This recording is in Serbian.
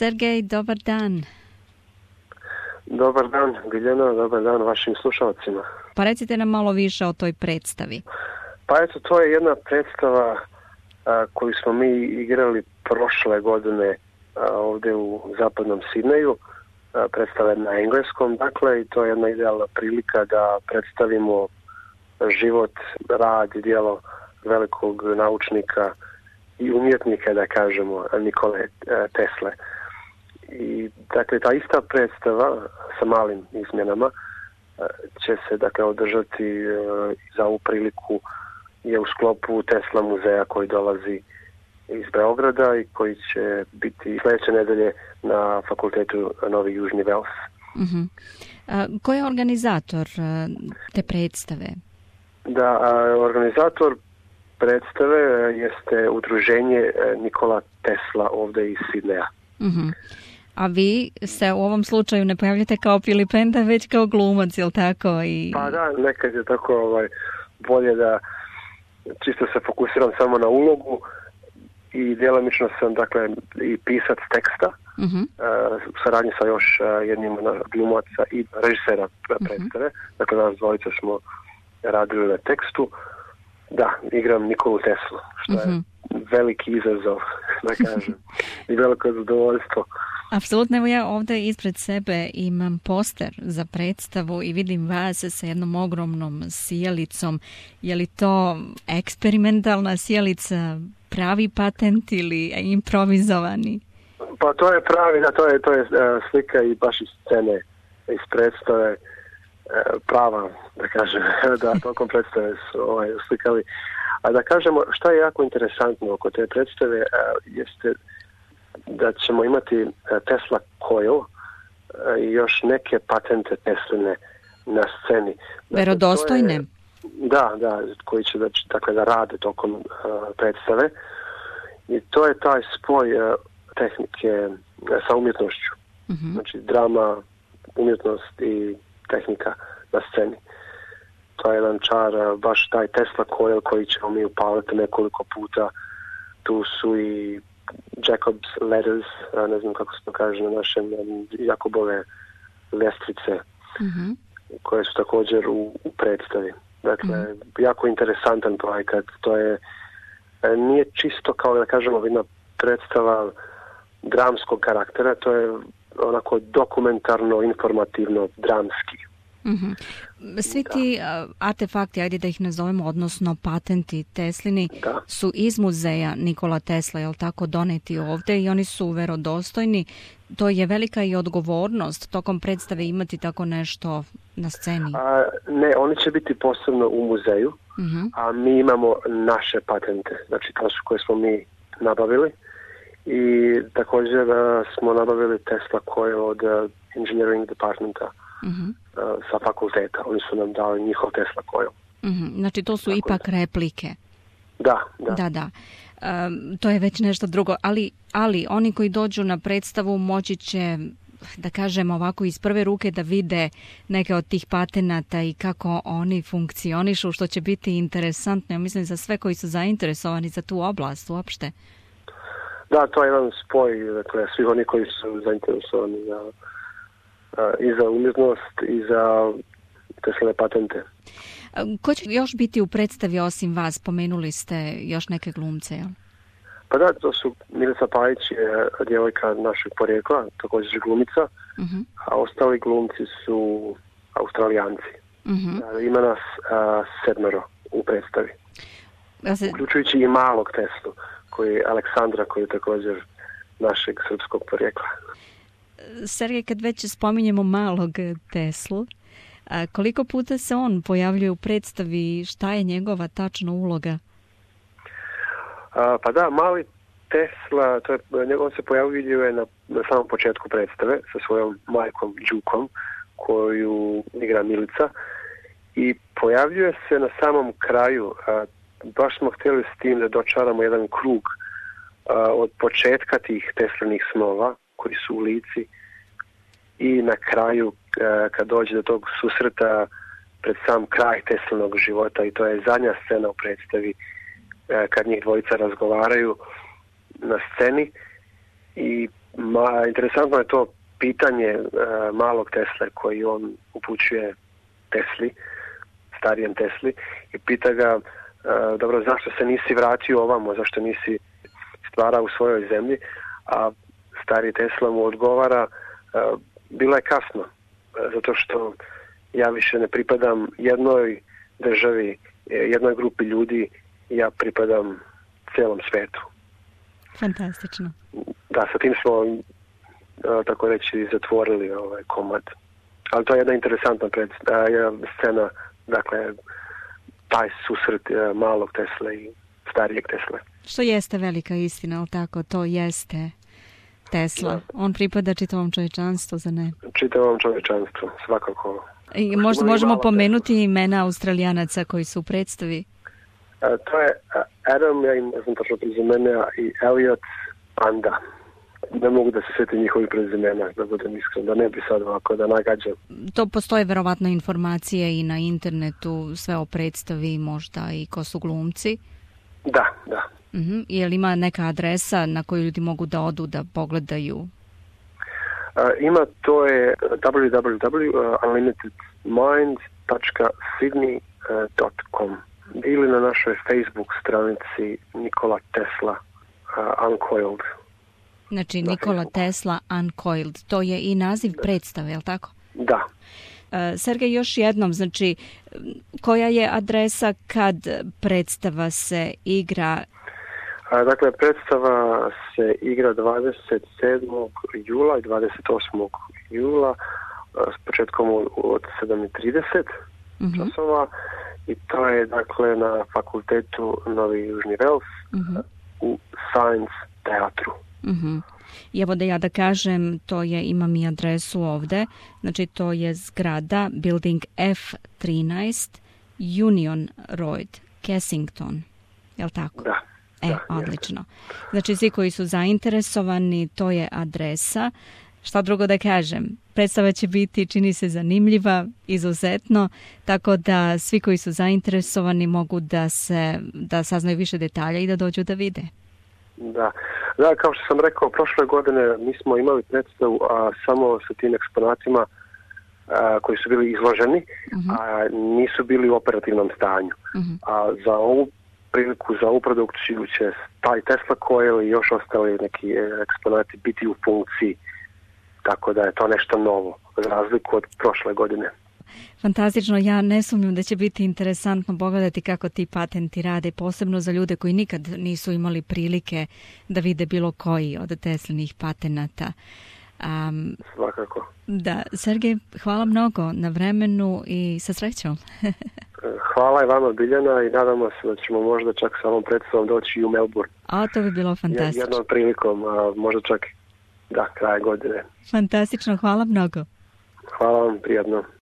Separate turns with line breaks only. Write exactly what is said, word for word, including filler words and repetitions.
Sergej, dobar dan.
Dobar dan, Biljana, dobar dan vašim slušalcima.
Pa recite nam malo više o toj predstavi.
Pa eto, to je jedna predstava a, koju smo mi igrali prošle godine a, ovdje u zapadnom Sidneju. A, predstava je na engleskom, dakle, i to je jedna idealna prilika da predstavimo život, rad i djelo velikog naučnika i umjetnika, da kažemo, Nikole a, Tesle. I dakle, ta ista predstava sa malim izmjenama će se dakle održati e, za ovu priliku je u sklopu Tesla muzeja koji dolazi iz Beograda i koji će biti sljedeće nedelje na fakultetu Novi Južni Vels.
Uh-huh. A, ko je organizator a, te predstave?
Da, a, organizator predstave jeste udruženje Nikola Tesla ovdje iz Sidneja.
Uh-huh. A vi se u ovom slučaju ne pojavljate kao Filipenda, već kao glumac, jel tako? I...
Pa da, nekad je tako ovaj, bolje da čisto se fokusiram samo na ulogu i djelomično sam, dakle, i pisac teksta, uh-huh. uh, u saradnji sa još uh, jednim glumaca i režisera predstave. Uh-huh. Dakle, nas dvojica smo radili na tekstu. Da, igram Nikolu Teslu, što uh-huh. je veliki izazov, da kažem, i veliko zadovoljstvo.
Apsolutno, evo ja ovdje ispred sebe imam poster za predstavu i vidim vas sa jednom ogromnom sjelicom. Je li to eksperimentalna sjelica, pravi patent ili improvizovani?
Pa to je pravi, da, to je, to je uh, slika i baš iz scene, iz predstave, uh, prava, da kažem, da tokom predstave su ovaj, slikali. A da kažemo, šta je jako interesantno oko te predstave, uh, jeste da ćemo imati Tesla coil i još neke patente Tesline na sceni.
Verodostojne?
Dakle, je, da, da, koji će da, dakle, da rade tokom uh, predstave. I to je taj spoj uh, tehnike uh, sa umjetnošću. Uh-huh. Znači drama, umjetnost i tehnika na sceni. To je jedan čar, uh, baš taj Tesla coil koji ćemo mi upaliti nekoliko puta. Tu su i Jacob's Ladders, ne znam kako se to kaže na našem, Jakobove ljestvice, uh-huh. koje su također u, u predstavi. Dakle, uh-huh. jako interesantan projekat. To je, nije čisto kao da kažemo jedna predstava dramskog karaktera, to je onako dokumentarno, informativno, dramski.
Mm-hmm. Svi ti da. artefakti, ajde da ih nazovemo, odnosno patenti Teslini, da. su iz muzeja Nikola Tesla, jel tako, doneti ovdje i oni su verodostojni. To je velika i odgovornost tokom predstave imati tako nešto na sceni.
A, ne, oni će biti posebno u muzeju, mm-hmm. a mi imamo naše patente, znači to su koje smo mi nabavili i također uh, smo nabavili Tesla koje od uh, engineering departmenta. Uh-huh. sa fakulteta. Oni su nam dali njihov Tesla coil.
Uh-huh. Znači to su tako ipak da. replike.
Da, da.
Da, da. Um, to je već nešto drugo. Ali, ali oni koji dođu na predstavu moći će, da kažem ovako, iz prve ruke da vide neke od tih patenata i kako oni funkcionišu, što će biti interesantno. Ja mislim za sve koji su zainteresovani za tu oblast uopšte.
Da, to je jedan spoj, dakle, svih oni koji su zainteresovani za i za umjetnost i za Tesline patente.
Ko će još biti u predstavi osim vas? Spomenuli ste još neke glumce, jel?
Pa da, to su Milica Pajić, je djevojka našeg porijekla, također glumica, uh-huh. a ostali glumci su Australijanci. Uh-huh. Ima nas a, sedmero u predstavi. Ja se... Uključujući i malog Teslu, koji je Aleksandra, koji je također našeg srpskog porijekla.
Sergej, kad već spominjemo malog Teslu, a koliko puta se on pojavljuje u predstavi, šta je njegova tačna uloga?
A, pa da, mali Tesla, to je, on se pojavljuje na, na samom početku predstave sa svojom majkom Đukom, koju igra Milica, i pojavljuje se na samom kraju. A, baš smo htjeli s tim da dočaramo jedan krug a, od početka tih Teslinih snova, koji su u Lici, i na kraju kad dođe do tog susreta pred sam kraj Teslinog života, i to je zadnja scena u predstavi kad njih dvojica razgovaraju na sceni, i Ma, interesantno je to pitanje uh, malog Tesle koji on upućuje Tesli, starijem Tesli, i pita ga, uh, dobro, zašto se nisi vratio ovamo, zašto nisi stvarao u svojoj zemlji, a stari Tesla mu odgovara, uh, bilo je kasno, uh, zato što ja više ne pripadam jednoj državi, jednoj grupi ljudi, ja pripadam cijelom svetu.
Fantastično.
Da, sa tim smo, tako reći, zatvorili ovaj komad. Ali to je jedna interesantna pred, scena, dakle, taj susret malog Tesle i starijeg Tesle.
Što jeste velika istina, ali tako, to jeste Tesla. Da. On pripada čitavom čovječanstvu, za ne?
Čitavom čovječanstvu, svakako.
I možda možemo pomenuti Tesla. Imena Australijanaca koji su u predstavi?
A, to je Adam, ja im ne znam tačno prezimena, i Elliot Anda. Ne mogu da se sjetim njihovih prezimena, da budem iskren, da ne bi sad ovako da nagađam.
To postoje verovatno informacije i na internetu, sve o predstavi, možda i ko su glumci?
Da, da.
Uh-huh. Je li ima neka adresa na koju ljudi mogu da odu da pogledaju?
Uh, ima, to je w w w dot unlimited mind dot sydney dot com ili na našoj Facebook stranici Nikola Tesla uh, Uncoiled.
Znači Nikola Tesla Uncoiled, to je i naziv predstave, je li tako?
Da.
Uh, Sergej, još jednom, znači, koja je adresa kad predstava se igra?
Uh, dakle, predstava se igra dvadeset sedmog jula i dvadeset osmog jula uh, s početkom od sedam i trideset uh-huh. časova, i to je, dakle, na fakultetu Novi Južni Vels uh-huh. u Science teatru.
Uh-huh. I evo da ja da kažem, to je, imam i adresu ovde, znači to je zgrada Building F trinaest Union Road, Kensington, je li tako?
Da.
E, da, odlično. Znači svi koji su zainteresovani, to je adresa. Šta drugo da kažem? Predstava će biti, čini se, zanimljiva, izuzetno, tako da svi koji su zainteresovani mogu da se da saznaju više detalja i da dođu da vide.
Da, da, kao što sam rekao, prošle godine mi smo imali predstavu a, samo sa tim eksponatima a, koji su bili izloženi, uh-huh. a nisu bili u operativnom stanju. Uh-huh. A za ovu priliku, za ovu produkciju će taj Tesla coil i još ostali neki eksponati biti u funkciji, tako da je to nešto novo, za razliku od prošle godine.
Fantastično, ja ne sumnjam da će biti interesantno pogledati kako ti patenti rade, posebno za ljude koji nikad nisu imali prilike da vide bilo koji od Teslinih patenata. Um,
Svakako.
Da, Sergej, hvala mnogo na vremenu i sa srećom.
Hvala i vama, Biljana, i nadamo se da ćemo možda čak sa ovom predstavom doći i u Melbourne.
A to bi bilo fantastično.
Jednom prilikom, a možda čak da, kraje godine.
Fantastično, hvala mnogo.
Hvala vam, prijatno.